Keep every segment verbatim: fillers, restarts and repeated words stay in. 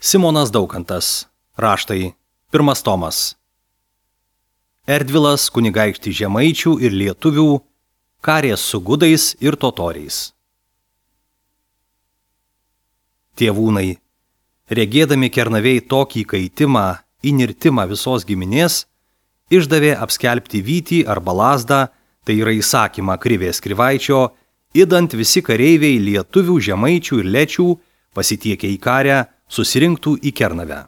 Simonas Daukantas. Raštai. Pirmas tomas. Erdvilas kunigaikštį žemaičių ir lietuvių, karės su gudais ir totoriais. Tėvūnai, regėdami Kernavėj tokį kaitimą, įnirtimą visos giminės, išdavė apskelbti vytį arba lazdą, tai yra įsakymą Krivės Krivaičio, idant visi kareiviai lietuvių, žemaičių ir lečių pasitiekę į karę susirinktų į Kernavę.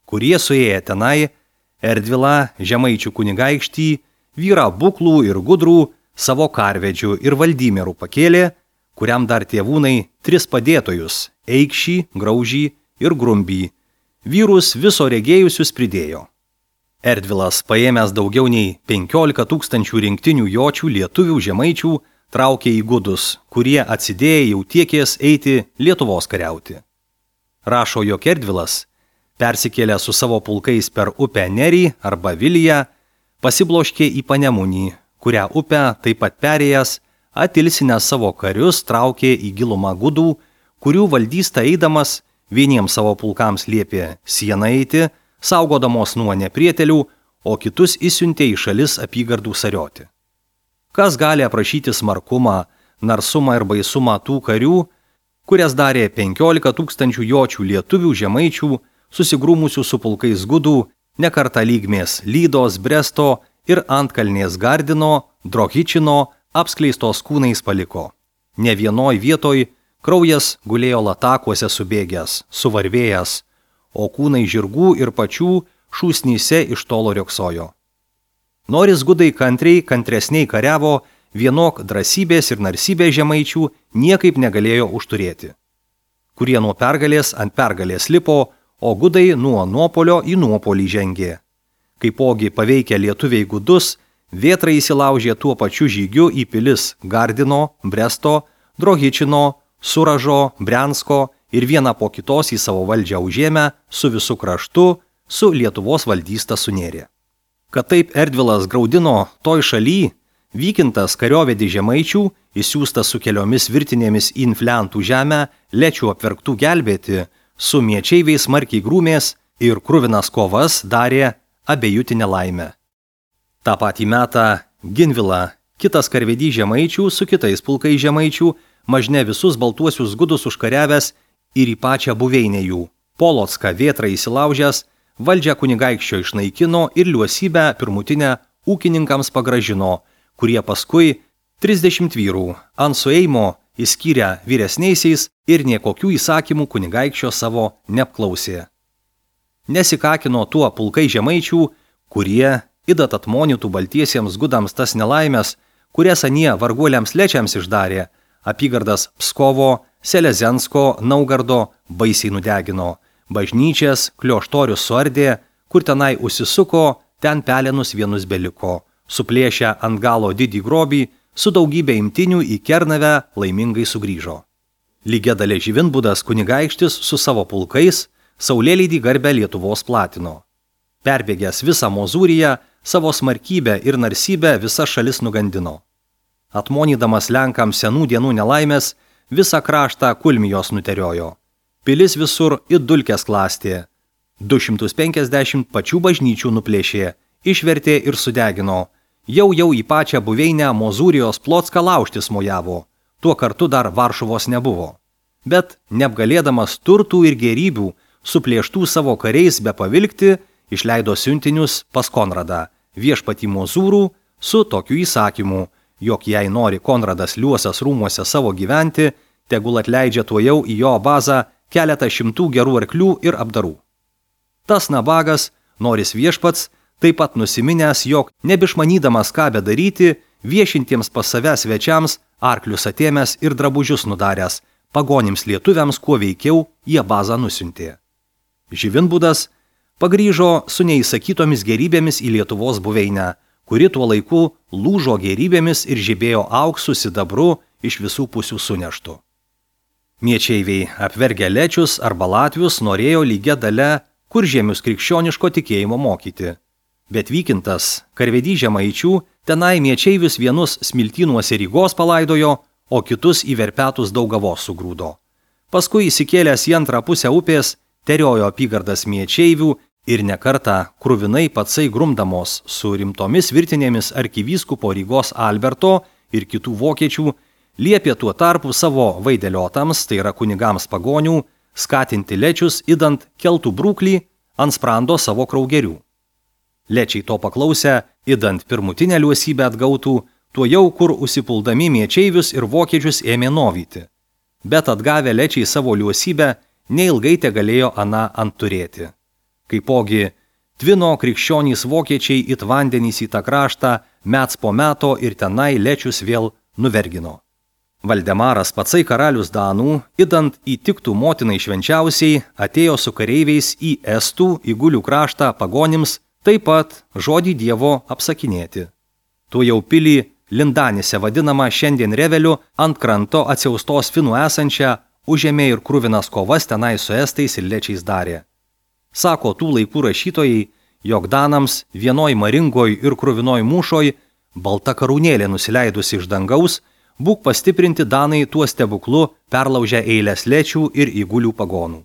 Kurie suėję tenai, Erdvilą, žemaičių kunigaikštį, vyrą buklų ir gudrų, savo karvedžių ir valdymierų pakėlė, kuriam dar tėvūnai tris padėtojus – Eikšį, Graužį ir Grumbį. Vyrus viso regėjusius pridėjo. Erdvilas, paėmęs daugiau nei penkiolika tūkstančių rinktinių jočių lietuvių žemaičių, traukė į gudus, kurie atsidėję jau tiekės eiti Lietuvos kariauti. Rašo, jog Erdvilas, persikėlė su savo pulkais per upę Nerį arba Viliją, pasibloškė į Panemunį, kurią upę taip pat perėjęs, atilsinęs savo karius traukė į gilumą gudų, kurių valdysta eidamas vieniems savo pulkams liepė sieną eiti, saugodamos nuo neprietelių, o kitus išsiuntė į šalis apygardų sarioti. Kas gali aprašyti smarkumą, narsumą ir baisumą tų karių, kurias darė penkiolika tūkstančių jočių lietuvių žemaičių, susigrūmusių su pulkais gudų, nekartą lygmės Lydos, Bresto ir Antkalnės Gardino, Drohičino apskleistos kūnais paliko. Ne vienoj vietoj kraujas gulėjo latakuose subėgęs, suvarvėjęs, o kūnai žirgų ir pačių šūsnyse iš tolo rioksojo. Noris gudai kantriai, kantresniai kariavo, vienok drąsybės ir narsybės žemaičių niekaip negalėjo užturėti. Kurie nuo pergalės ant pergalės lipo, o gudai nuo nuopolio į nuopolį žengė. Kaipogi paveikę lietuviai gudus, vėtrai įsilaužė tuo pačiu žygiu į pilis Gardino, Bresto, Drohičino, Suražo, Briansko ir vieną po kitos į savo valdžią užėmę su visu kraštu, su Lietuvos valdysta sunėrė. Kad taip Erdvilas graudino toj šaly, Vykintas kariovedį žemaičių, įsiųstas su keliomis virtinėmis į Infliantų žemę, lečių apverktų gelbėti, su miečeiviais smarkiai grūmės ir kruvinas kovas darė abejutinę laimę. Ta patį metą Ginvila, kitas karvedį žemaičių su kitais pulkai žemaičių, mažne visus baltuosius gudus užkariavęs ir į pačią buveinę jų. Polocką vėtrą įsilaužęs, valdžią kunigaikščio išnaikino ir liuosybę pirmutinę ūkininkams pagražino, kurie paskui trisdešimt vyrų ant sueimo įskyrę vyresniaisiais ir niekokių įsakymų kunigaikščio savo neapklausė. Nesikakino tuo pulkai žemaičių, kurie idat atmonytų baltiesiems gudams tas nelaimės, kurias anie varguoliams lečiams išdarė, apygardas Pskovo, Selezensko, Naugardo baisiai nudegino, bažnyčias, klioštorius suardė, kur tenai užsisuko, ten pelenus vienus beliko, suplėšę ant galo didį grobį, su daugybė imtinių į Kernavę laimingai sugrįžo. Lygia dalė Živinbudas kunigaikštis su savo pulkais saulėlydį garbę Lietuvos platino. Perbėgęs visą Mozūriją, savo smarkybę ir narsybę visas šalis nugandino. Atmonydamas Lenkams senų dienų nelaimės, visą kraštą kulmijos nuteriojo. Pilis visur it dulkės klastė. du šimtus penkiasdešimt pačių bažnyčių nuplėšė, išvertė ir sudegino. Jau jau į pačią buveinę Mozūrijos Plocką laužtis mojavo. Tuo kartu dar Varšuvos nebuvo. Bet, neapgalėdamas turtų ir gerybių, suplėštų savo kariais be pavilkti, išleido siuntinius pas Konradą, viešpatį Mozūrų, su tokiu įsakymu, jog jei nori Konradas liuosas rūmuose savo gyventi, tegul atleidžia tuojau į jo bazą keletą šimtų gerų arklių ir apdarų. Tas nabagas, noris viešpats, taip pat nusiminęs, jog nebišmanydamas ką bedaryti, viešintiems pas save svečiams arklius atėmęs ir drabužius nudaręs, pagonims lietuviams kuo veikiau jie bazą nusiuntė. Živinbudas pagrįžo su neįsakytomis gerybėmis į Lietuvos buveinę, kuri tuo laiku lūžo gerybėmis ir žibėjo auksu sidabru iš visų pusių suneštų. Miečeiviai apvergę lečius arba latvius norėjo lygia dalia kuržemius krikščioniško tikėjimo mokyti. Bet Vykintas, karvedį žemaičių, tenai miečeivius vienus smiltynuose Rygos palaidojo, o kitus į Verpetus Daugavos sugrūdo. Paskui įsikėlęs į antrą pusę upės, teriojo apygardas miečeivių ir nekartą kruvinai patsai grumdamos su rimtomis virtinėmis arkivyskupo Rygos Alberto ir kitų vokiečių, liepė tuo tarpu savo vaideliotams, tai yra kunigams pagonių, skatinti lečius idant keltų brūklį ant sprando savo kraugerių. Lečiai to paklausę, idant pirmutinę liuosybę atgautų, tuo jau kur užsipuldami miečeivius ir vokiečius ėmė novyti. Bet atgavę lečiai savo liuosybę, neilgai te galėjo aną ant turėti. Kaipogi, tvino krikščionys vokiečiai it vandenys į tą kraštą, mets po meto ir tenai lečius vėl nuvergino. Valdemaras patsai karalius Danų, idant įtiktų motinai švenčiausiai, atėjo su kareiviais į Estų, į Gulių kraštą pagonims, taip pat žodį Dievo apsakinėti. Tuo jau pilį Lindanise vadinama šiandien Reveliu ant kranto atsiaustos finų esančią, užėmė ir kruvinas kovas tenai su estais ir lečiais darė. Sako tų laikų rašytojai, jog Danams vienoj maringoj ir kruvinoj mūšoj, balta karūnėlė nusileidusi iš dangaus, būk pastiprinti Danai tuo stebuklu perlaužę eilės lečių ir įgulių pagonų.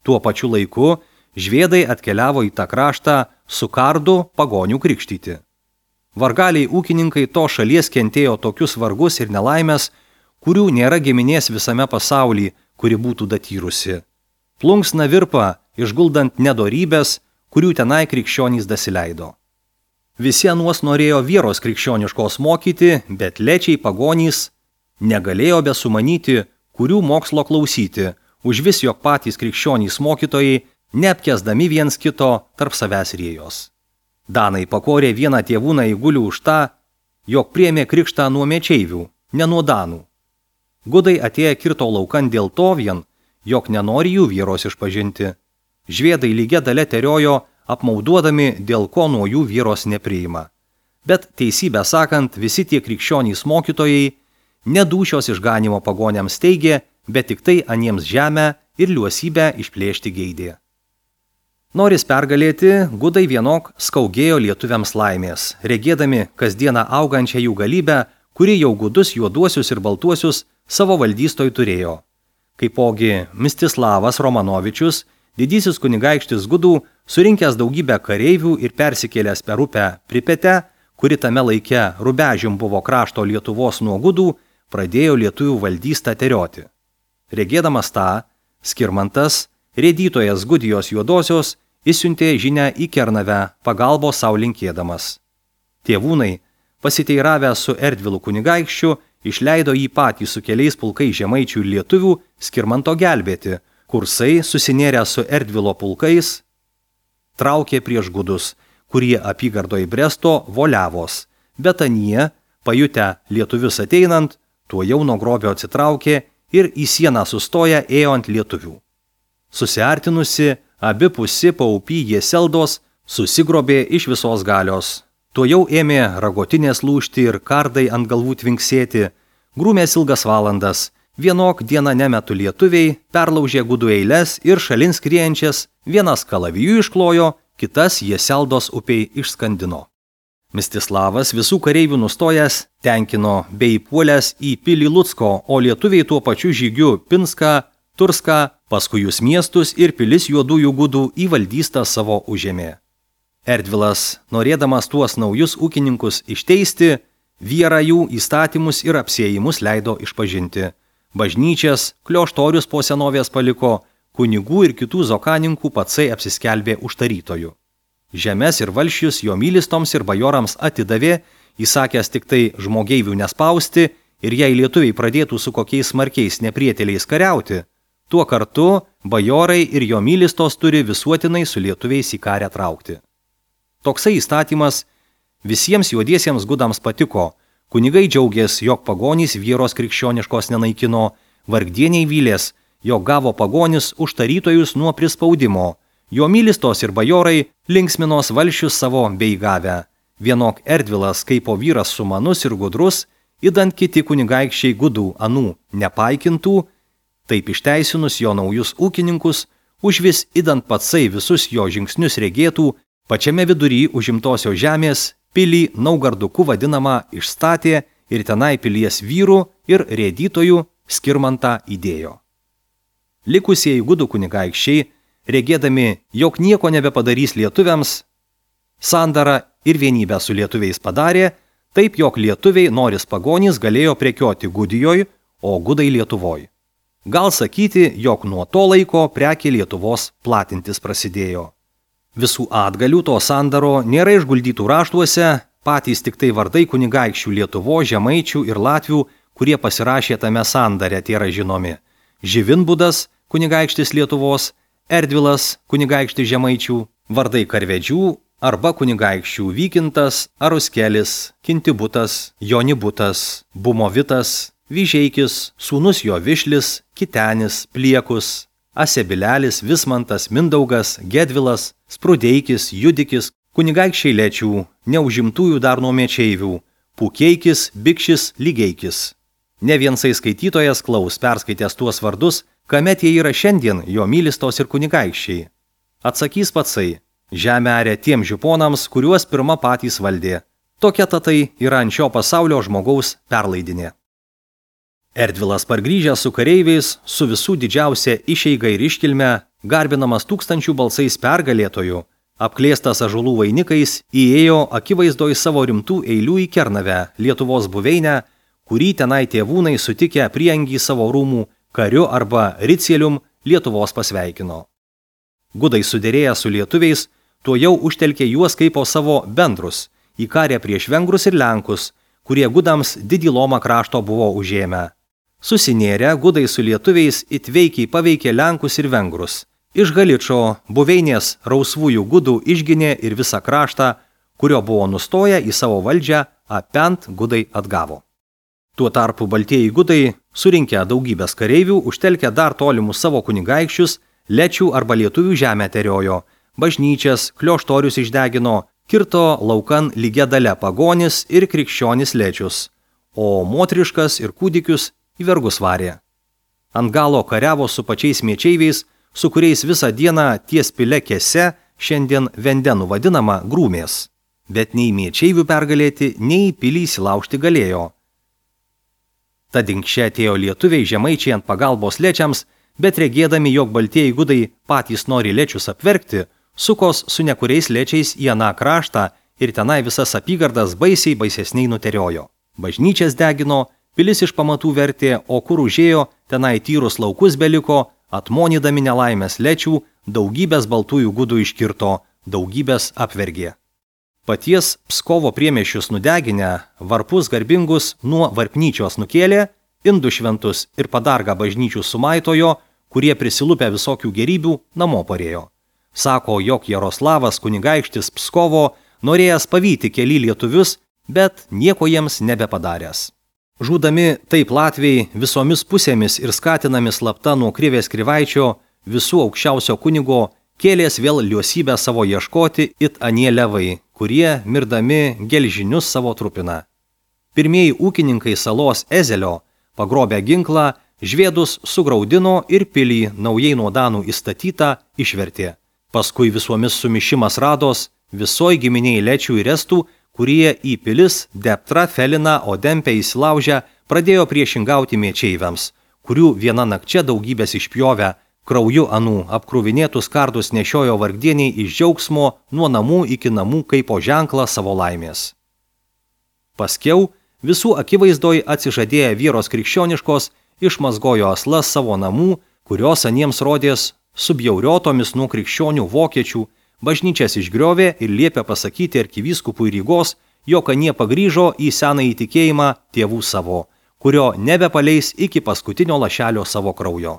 Tuo pačiu laiku žviedai atkeliavo į tą kraštą su kardu pagonių krikštyti. Vargaliai ūkininkai to šalies kentėjo tokius vargus ir nelaimės, kurių nėra giminės visame pasaulyje, kuri būtų datyrusi. Plunksna virpa, išguldant nedorybės, kurių tenai krikščionys dasileido. Visi anuos norėjo vieros krikščioniškos mokyti, bet lečiai pagonys negalėjo besumanyti, kurių mokslo klausyti, už vis jog patys krikščionys mokytojai, neapkesdami viens kito tarp savęs rėjos. Danai pakorė vieną tėvūną įgulių už tą, jog priėmė krikštą nuo miečeivių, ne nuo Danų. Gudai atėję kirto laukan dėl to vien, jog nenori jų vieros išpažinti. Žviedai lygia dalia teriojo, apmauduodami, dėl ko nuo jų vieros nepriima. Bet teisybę sakant, visi tie krikščionys mokytojai nedūšios išganimo pagoniams teigė, bet tik tai aniems žemę ir liuosybę išplėšti geidė. Noris pergalėti, gudai vienok skaugėjo lietuviams laimės, regėdami kasdieną augančią jų galybę, kuri jau gudus juoduosius ir baltuosius savo valdystoj turėjo. Kaipogi Mistislavas Romanovičius, didysis kunigaikštis gudų, surinkęs daugybę kareivių ir persikėlęs per upę Pripetę, kuri tame laike Rubežium buvo krašto Lietuvos nuo gudų, pradėjo lietuvių valdystą terioti. Regėdamas tą, Skirmantas, rėdytojas Gudijos juodosios, įsiuntė žinią į Kernavę, pagalbos sau linkėdamas. Tėvūnai, pasiteiravę su Erdvilu kunigaikščiu, išleido jį patį su keliais pulkais žemaičių ir lietuvių Skirmanto gelbėti, kursai, susinėrę su Erdvilo pulkais, traukė prieš gudus, kurie apygardoje Bresto voliavos, bet anie, pajutę lietuvius ateinant, tuo jau nuo grobio atsitraukė ir į sieną sustoję ėjo ant lietuvių. Susiartinusi, abi pusi paupy Jieseldos susigrobė iš visos galios. Tuo jau ėmė ragotinės lūžti ir kardai ant galvų tvinksėti, grūmės ilgas valandas, vienok dieną nemetu lietuviai, perlaužė gudų eiles ir šalin skriejančias, vienas kalavijų išklojo, kitas Jieseldos upiai išskandino. Mistislavas visų kareivių nustojęs tenkino bei puolęs į pilį Lucko, o lietuviai tuo pačiu žygiu Pinską, Turską, paskui jūs miestus ir pilis juodųjų gudų į valdystą savo užėmė. Erdvilas, norėdamas tuos naujus ūkininkus išteisti, vierą jų įstatymus ir apsėjimus leido išpažinti. Bažnyčias, klioštorius po senovės paliko, kunigų ir kitų zokaninkų patsai apsiskelbė užtarytojų. Žemes ir valsčius jo mylistoms ir bajorams atidavė, įsakęs tik tai žmogeivių nespausti ir jei lietuviai pradėtų su kokiais smarkiais neprieteliais kariauti, tuo kartu bajorai ir jo mylistos turi visuotinai su lietuviais į karę traukti. Toksai įstatymas visiems juodiesiems gudams patiko, kunigai džiaugės, jog pagonys vieros krikščioniškos nenaikino, vargdieniai vylės, jog gavo pagonis užtarytojus nuo prispaudimo, jo mylistos ir bajorai linksminos valsčius savo bei gavę. Vienok Erdvilas kaipo vyras sumanus ir gudrus, idant kiti kunigaikščiai gudų anų nepaikintų, taip išteisinus jo naujus ūkininkus, užvis idant patsai visus jo žingsnius regėtų, pačiame vidury užimtosios žemės pilį Naugarduku vadinamą išstatė ir tenai pilies vyrų ir rėdytojų Skirmantą įdėjo. Likusieji gudų kunigaikščiai, regėdami, jog nieko nebepadarys lietuviams, sandarą ir vienybę su lietuviais padarė, taip jog lietuviai noris pagonys galėjo prekioti Gudijoj, o gudai Lietuvoj. Gal sakyti, jog nuo to laiko prekė Lietuvos platintis prasidėjo. Visų atgalių to sandaro nėra išguldytų raštuose, patys tik tai vardai kunigaikščių Lietuvo, Žemaičių ir Latvių, kurie pasirašė tame sandare, tie yra žinomi. Živinbudas, kunigaikštis Lietuvos, Erdvilas, kunigaikštis Žemaičių, vardai karvedžių arba kunigaikščių Vykintas, Aruskelis, Kintibutas, Jonibutas, Bumovitas, Vyžeikis, sūnus jo Višlis, Kitenis, Pliekus, Asebilelis, Vismantas, Mindaugas, Gedvilas, Sprudeikis, Judikis, kunigaikščiai Lečių, neužimtųjų dar nuo mečeivių, Pukeikis, Bikšis, Lygeikis. Ne viensai skaitytojas klaus perskaitęs tuos vardus, kamet jie yra šiandien jo mylistos ir kunigaikščiai. Atsakys patsai, žemę arė tiem žiponams, kuriuos pirma patys valdė. Tokia tatai yra ant šio pasaulio žmogaus perlaidinė. Erdvilas pargrįžęs su kareiviais, su visų didžiausia išeiga ir iškilme, garbinamas tūkstančių balsais pergalėtojų, apklėstas ąžuolų vainikais, įėjo akivaizdoj savo rimtų eilių į Kernavę, Lietuvos buveinę, kurį tenai tėvūnai sutikę priengį savo rūmų kariu arba ricielium Lietuvos pasveikino. Gudai suderėję su lietuviais, tuo jau užtelkė juos kaip po savo bendrus, įkarė prieš vengrus ir lenkus, kurie gudams didį lomą krašto buvo užėmę. Susinėrę, gudai su lietuviais itveikiai paveikė lenkus ir vengrus. Iš Galičo buveinės rausvųjų gudų išginė ir visą kraštą, kurio buvo nustoję į savo valdžią, apent gudai atgavo. Tuo tarpu baltieji gudai, surinkę daugybės kareivių, užtelkę dar tolimus savo kunigaikščius, Lečių arba lietuvių žemę teriojo, bažnyčias, klioštorius išdegino, kirto laukan lygia dalia pagonis ir krikščionis Lečius, o motriškas ir kūdikius į vergus varė. Ant galo kariavo su pačiais mečeiviais, su kuriais visą dieną ties pile kese, šiandien Vendenų vadinama, grūmės. Bet nei mečeivių pergalėti, nei pilį įsilaužti galėjo. Tad inkščia atėjo lietuviai žemaičiai ant pagalbos Lečiams, bet regėdami, jog baltieji gudai patys nori Lečius apverkti, sukos su nekuriais Lečiais į aną kraštą ir tenai visas apygardas baisiai baisesniai nuteriojo. Bažnyčias degino, pilis iš pamatų vertė, o kur užėjo, tenai tyrus laukus beliko, atmonydami nelaimės Lečių, daugybės baltųjų gudų iškirto, daugybės apvergė. Paties Pskovo priemiesčius nudeginę, varpus garbingus nuo varpnyčios nukėlė, indų šventus ir padargą bažnyčių sumaitojo, kurie prisilupę visokių gerybių namo parėjo. Sako, jog Jaroslavas kunigaikštis Pskovo norėjęs pavyti keli lietuvius, bet nieko jiems nebepadaręs. Žūdami taip latviai visomis pusėmis ir skatinami slapta nuo Krivės Krivaičio, visų aukščiausio kunigo, kėlės vėl liosybę savo ieškoti it anie levai, kurie mirdami gelžinius savo trupina. Pirmieji ūkininkai salos Ezelio, pagrobę ginklą, žvėdus sugraudino ir pilį naujai nuo danų įstatytą išvertė. Paskui visuomis sumišimas rados, visoj giminiai Lečių ir Estų, kurie į pilis Deptra, Feliną, Odempę įsilaužę, pradėjo priešingauti mečeiviams, kurių viena nakčia daugybės išpjovę, krauju anų apkruvinėtus kardus nešiojo vargdieniai iš džiaugsmo nuo namų iki namų kaip po ženklą savo laimės. Paskiau, visų akivaizdoj atsižadėję vyros krikščioniškos, išmazgojo aslas savo namų, kurios aniems rodės subjauriotomis nuo krikščionių vokiečių, bažnyčias išgriovė ir liepė pasakyti arkivyskupui Rygos, jog anie pagrįžo į senąjį tikėjimą tėvų savo, kurio nebepaleis iki paskutinio lašelio savo kraujo.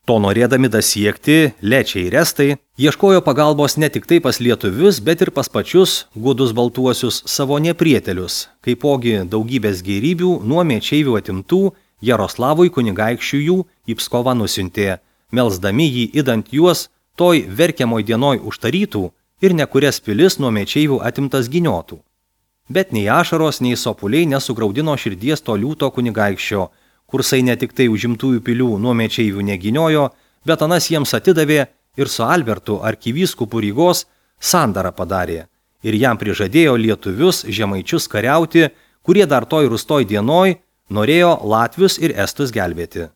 To norėdami dasiekti, Lečiai ir Estai ieškojo pagalbos ne tik tai pas lietuvius, bet ir pas pačius gudus baltuosius savo neprietelius, kaipogi daugybės gėrybių nuo mečeivių atimtų Jaroslavui kunigaikščių jų į Pskovą nusiuntė, melsdami jį idant juos toj verkiamoj dienoj užtarytų ir nekurias pilis nuo mečeivių atimtas giniotų. Bet nei ašaros, nei sopuliai nesugraudino širdies to liūto kunigaikščio, kursai ne tik tai užimtųjų pilių nuo mečeivių neginiojo, bet anas jiems atidavė ir su Albertu arkivyskupu Rygos sandarą padarė ir jam prižadėjo lietuvius žemaičius kariauti, kurie dar toj rūstoj dienoj norėjo latvius ir estus gelbėti.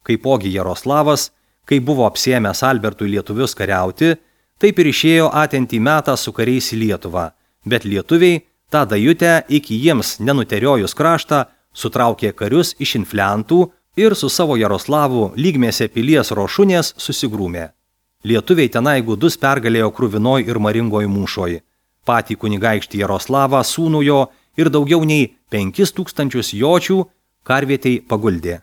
Kaipogi Jaroslavas, Kai buvo apsiėmęs Albertui lietuvius kariauti, taip ir išėjo atentį metą su kariais į Lietuvą, bet lietuviai, tą dajutę iki jiems nenuteriojus kraštą, sutraukė karius iš infliantų ir su savo Jaroslavu lygmėse pilies Rošunės susigrūmė. Lietuviai tenai gudus pergalėjo krūvinoj ir maringoj mūšoj. Patį kunigaikštį Jaroslavą, sūnų jo ir daugiau nei penkis tūkstančius jočių karvietei paguldė.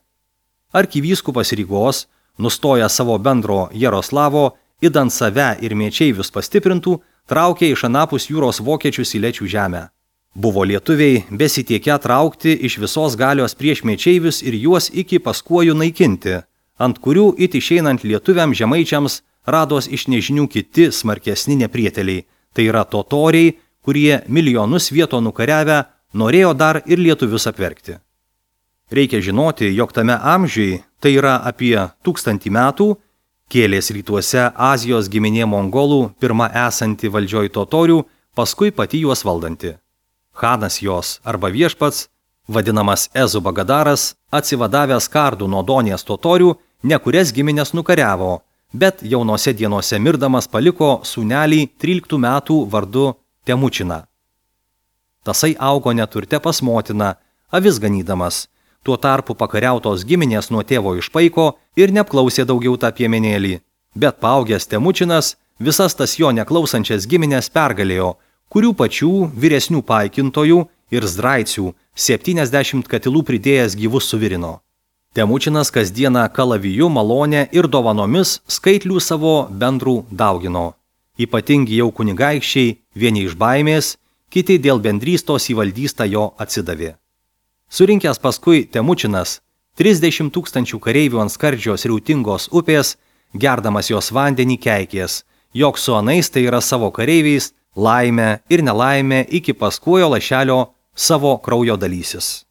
Arkivyskupas Rygos, nustoja savo bendro Jaroslavo, idant save ir mečeivius pastiprintų, traukė iš anapus jūros vokiečius į Lečių žemę. Buvo lietuviai besitiekę traukti iš visos galios prieš mečeivius ir juos iki Paskuojų naikinti, ant kurių it išeinant lietuviam žemaičiams rados iš nežinių kiti smarkesni neprieteliai, tai yra totoriai, kurie milijonus vieto nukariavę norėjo dar ir lietuvius apverkti. Reikia žinoti, jog tame amžiui, tai yra apie tūkstantį metų, kėlės rytuose Azijos giminė mongolų, pirma esanti valdžioj totorių, paskui pati juos valdanti. Hanas jos arba viešpats, vadinamas Ezu Bagadaras, atsivadavęs kardų nuo Donės totorių, ne kurias giminės nukariavo, bet jaunose dienose mirdamas paliko sūnelį tryliktų metų vardu Temučiną. Tasai augo neturte pas motiną, avis ganydamas, tuo tarpu pakariautos giminės nuo tėvo išpaiko ir neapklausė daugiau tą piemenėlį, bet paaugęs Temučinas visas tas jo neklausančias giminės pergalėjo, kurių pačių vyresnių paikintojų ir zdraicių septyniasdešimt katilų pridėjęs gyvus suvirino. Temučinas kasdieną kalaviju, malonę ir dovanomis skaitlių savo bendrų daugino. Ypatingi jau kunigaikščiai, vieni iš baimės, kiti dėl bendrystos į valdystą jo atsidavė. Surinkęs paskui Temučinas trisdešimt tūkstančių kareivių ant skardžios riautingos upės, gerdamas jos vandenį keikės, jog su anais, tai yra savo kareiviais, laimę ir nelaimę iki Paskuojo lašelio savo kraujo dalysis.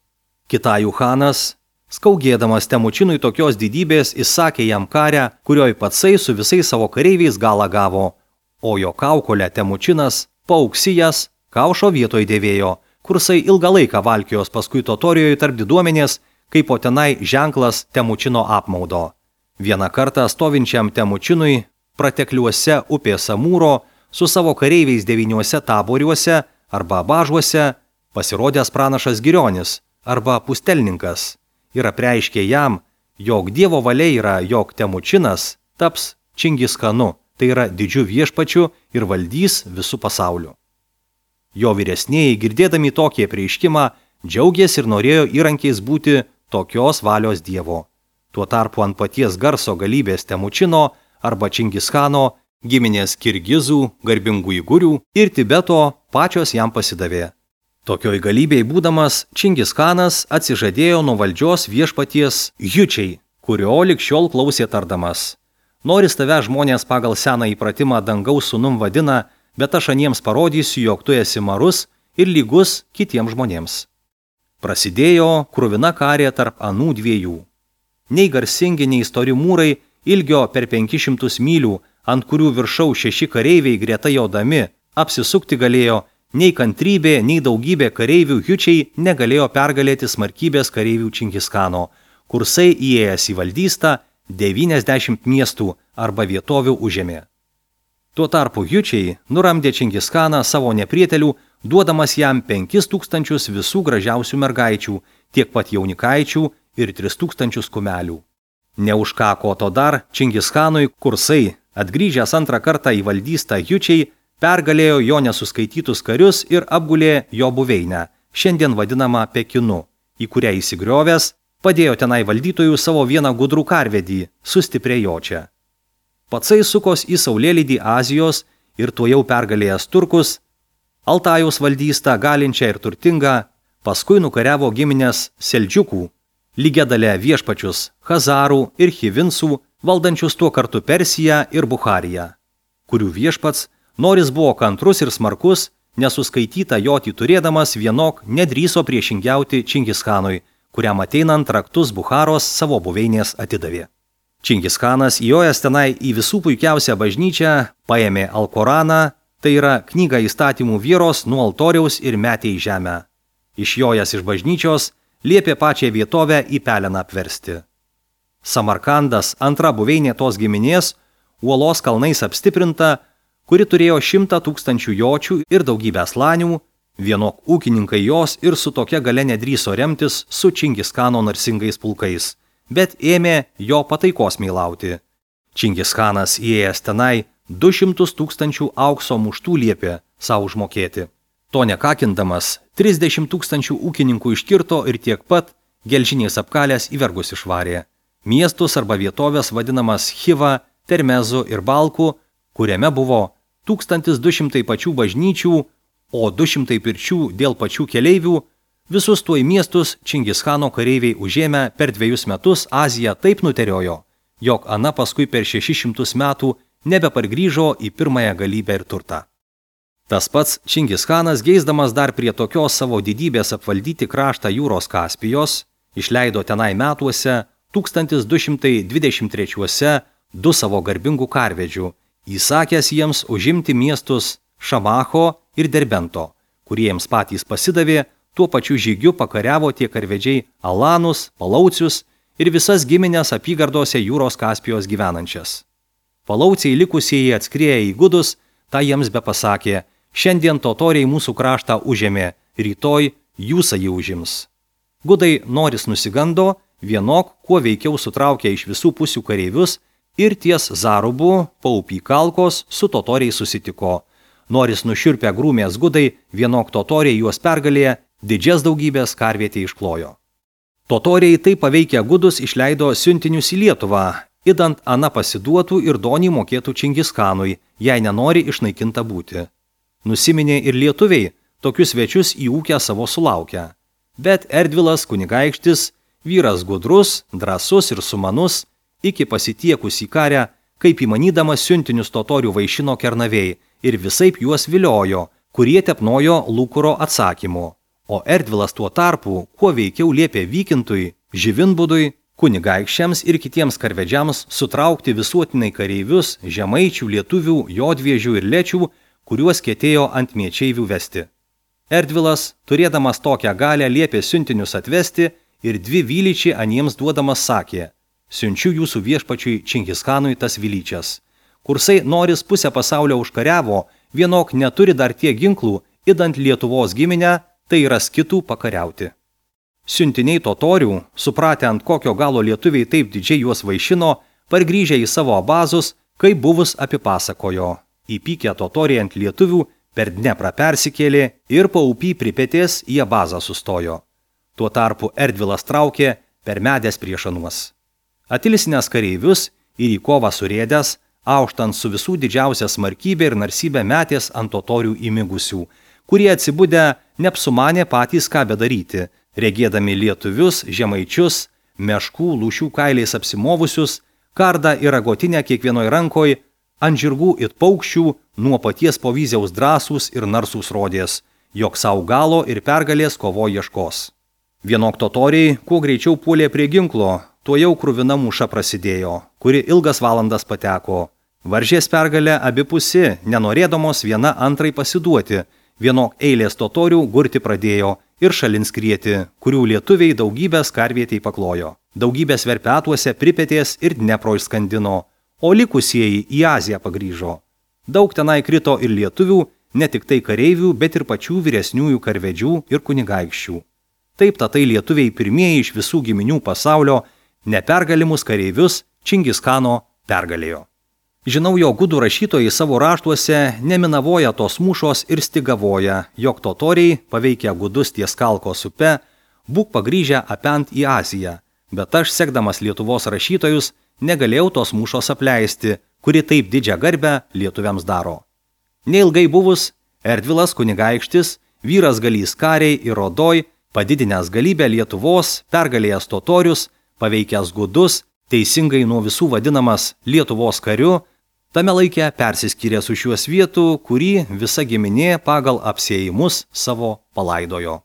Kitajų Hanas, skaugėdamas Temučinui tokios didybės, įsakė jam karę, kurioj patsai su visais savo kareiviais galą gavo, o jo kaukolę Temučinas, pauksijas, kaušo vietoj dėvėjo, kursai ilgą laiką valkios paskui totorijoje tarp diduomenės, kaip po tenai ženklas Temučino apmaudo. Vieną kartą stovinčiam Temučinui, pratekliuose upės Amūro, su savo kareiviais devyniuose taboriuose arba bažuose, pasirodęs pranašas Girionis arba pustelninkas ir apreiškė jam, jog Dievo valia yra, jog Temučinas taps Čingischanu, tai yra didžiu viešpačiu ir valdys visų pasauliu. Jo vyresnieji, girdėdami tokį apreiškimą, džiaugėsi ir norėjo įrankiais būti tokios valios Dievo. Tuo tarpu ant paties garso galybės Temučino arba Čingischano giminės Kirgizų, garbingų Igurių ir Tibeto pačios jam pasidavė. Tokioj galybėj būdamas, Čingischanas atsižadėjo nuo valdžios viešpaties Jučiai, kurio lig šiol klausė tardamas. Noris tave žmonės pagal seną įpratimą dangaus sūnum vadina, bet aš aniems parodysiu, jog tu esi marus ir lygus kitiems žmonėms. Prasidėjo kruvina karė tarp anų dviejų. Nei garsingi, nei stori mūrai, ilgio per penkis šimtus mylių, ant kurių viršau šeši kareiviai greta jaudami, apsisukti galėjo, nei kantrybė, nei daugybė kareivių Jučiai negalėjo pergalėti smarkybės kareivių Čingischano, kursai įėjęs į valdystą devyniasdešimt miestų arba vietovių užėmė. Tuo tarpu Jučiai nuramdė Čingischaną savo neprietelių, duodamas jam penkis tūkstančius visų gražiausių mergaičių, tiek pat jaunikaičių ir tris tūkstančius kumelių. Neužkako to dar Čingischanui kursai, atgrįžęs antrą kartą į valdystą Jučiai, pergalėjo jo nesuskaitytus karius ir apgulė jo buveinę, šiandien vadinamą Pekinu, į kurią įsigriovęs, padėjo tenai valdytojų savo vieną gudrų karvedį, sustiprė jočią. Patsai sukos į saulėlydį Azijos ir tuojau pergalėjęs turkus, Altajaus valdystą galinčią ir turtingą, paskui nukariavo giminės Seldžiukų, lygiadalę viešpačius Hazarų ir Hivinsų, valdančius tuo kartu Persiją ir Buchariją, kurių viešpats Noris buvo kantrus ir smarkus, nesuskaitytą jotį turėdamas vienok nedrįso priešingiauti Čingischanui, kuriam ateinant raktus Bucharos savo buveinės atidavė. Čingischanas įjojęs tenai į visų puikiausią bažnyčią, paėmė Alkoraną, tai yra knygą įstatymų vieros nuo altoriaus ir metė į žemę. Išjojęs iš bažnyčios, liepė pačią vietovę į peleną apversti. Samarkandas, antra buveinė tos giminės, uolos kalnais apstiprinta, kuri turėjo šimtą tūkstančių jočių ir daugybę slanių, vienok ūkininkai jos ir su tokia gale nedrįso remtis su Čingischano narsingais pulkais, bet ėmė jo pataikos meilauti. Čingischanas įėjęs tenai du šimtus tūkstančių aukso muštų liepė savo užmokėti. To nekakindamas, trisdešimt tūkstančių ūkininkų iškirto ir tiek pat gelžiniais apkalės į vergus išvarė. Miestus arba vietovės vadinamas Chiva, Termezu ir Balku, kuriame buvo tūkstantis du šimtai pačių bažnyčių, o du šimtai pirčių dėl pačių keleivių, visus tuoj miestus Čingischano kareiviai užėmę per dviejus metus Aziją taip nuteriojo, jog ana paskui per šešis šimtus metų nebepargrįžo į pirmąją galybę ir turtą. Tas pats Čingischanas, geisdamas dar prie tokios savo didybės apvaldyti kraštą jūros Kaspijos, išleido tenai metuose tūkstantis du šimtai dvidešimt trečiuose du savo garbingų karvedžių, įsakęs jiems užimti miestus Šamacho ir Derbento, kuriems patys pasidavė, tuo pačiu žygiu pakariavo tie karvedžiai Alanus, Palaucius ir visas giminės apygardose jūros Kaspijos gyvenančias. Palauciai likusieji atskrieję į gudus, tą jiems be pasakė, šiandien totoriai mūsų kraštą užėmė, rytoj jūsą jį užims. Gudai noris nusigando, vienok, kuo veikiau sutraukė iš visų pusių kareivius ir ties Zarubu, Paupy kalkos, su totoriai susitiko. Noris nušiurpę grūmės gudai, vienok totoriai juos pergalėje, didžias daugybės karvietė išklojo. Totoriai taip paveikę gudus išleido siuntinius į Lietuvą, idant ana pasiduotų ir donį mokėtų Čingischanui, jei nenori išnaikinta būti. Nusiminė ir lietuviai, tokius svečius į ūkę savo sulaukę. Bet Erdvilas kunigaikštis, vyras gudrus, drąsus ir sumanus, iki pasitiekus į karę, kaip įmanydamas siuntinius totorių vaišino Kernavėj ir visaip juos viliojo, kurie tepnojo Lūkuro atsakymu. O Erdvilas tuo tarpu, kuo veikiau liepė Vykintui, Živinbudui, kunigaikščiams ir kitiems karvedžiams sutraukti visuotinai kareivius, žemaičių, lietuvių, jodviežių ir lečių, kuriuos ketėjo ant miečeivių vesti. Erdvilas, turėdamas tokią galę, liepė siuntinius atvesti ir dvi vylyčiai aniems duodamas sakė, siunčiu jūsų viešpačiui Čingischanui tas vylyčias. Kursai noris pusę pasaulio užkariavo, vienok neturi dar tiek ginklų, idant Lietuvos giminę, tai yra skitų pakariauti. Siuntiniai totorių, supratę ant kokio galo lietuviai taip didžiai juos vaišino, pargrįžę į savo abazus, kaip buvus apipasakojo. Įpykę totoriai ant lietuvių per Dneprą persikėlė ir Paupy pripetės į abazą sustojo. Tuo tarpu Erdvilas traukė per medės priešanuos. Atilsinęs kareivius ir į kovą surėdęs, auštant su visų didžiausia smarkybė ir narsybė metės ant totorių įmigusių, kurie atsibudę neapsumanė patys ką bedaryti, regėdami lietuvius, žemaičius, meškų, lūšių kailiais apsimovusius, kardą ir agotinę kiekvienoj rankoj, ant žirgų it paukščių, nuo paties povyziaus drąsūs ir narsūs rodės, jog sau galo ir pergalės kovo ieškos. Vienok totoriai, kuo greičiau puolė prie ginklo, tuo jau kruvina mūša prasidėjo, kuri ilgas valandas pateko. Varžės pergalę abipusi, nenorėdamos viena antrai pasiduoti, vienok eilės totorių gurti pradėjo ir šalin skrieti, kurių lietuviai daugybės karvietei paklojo. Daugybės verpetuose pripetės ir Dnepro išskandino, o likusieji į Aziją pagrįžo. Daug tenai krito ir lietuvių, ne tik tai kareivių, bet ir pačių vyresniųjų karvedžių ir kunigaikščių. Taip tatai lietuviai pirmieji iš visų giminių pasaulio nepergalimus kareivius Čingischano pergalėjo. Žinau, jo gudų rašytojai savo raštuose neminavoja tos mūšos ir stigavoja, jog totoriai, paveikę gudus ties Kalkos upe, būk pagrįžę apent į Aziją, bet aš, sekdamas Lietuvos rašytojus, negalėjau tos mūšos apleisti, kuri taip didžią garbę lietuviams daro. Neilgai buvus, Erdvilas kunigaikštis, vyras galys kariai ir rodoj, padidinęs galybę Lietuvos, pergalėjęs totorius, paveikęs gudus, teisingai nuo visų vadinamas Lietuvos kariu, tame laike persiskyrė su šiuos vietų, kurį visa giminė pagal apsėjimus savo palaidojo.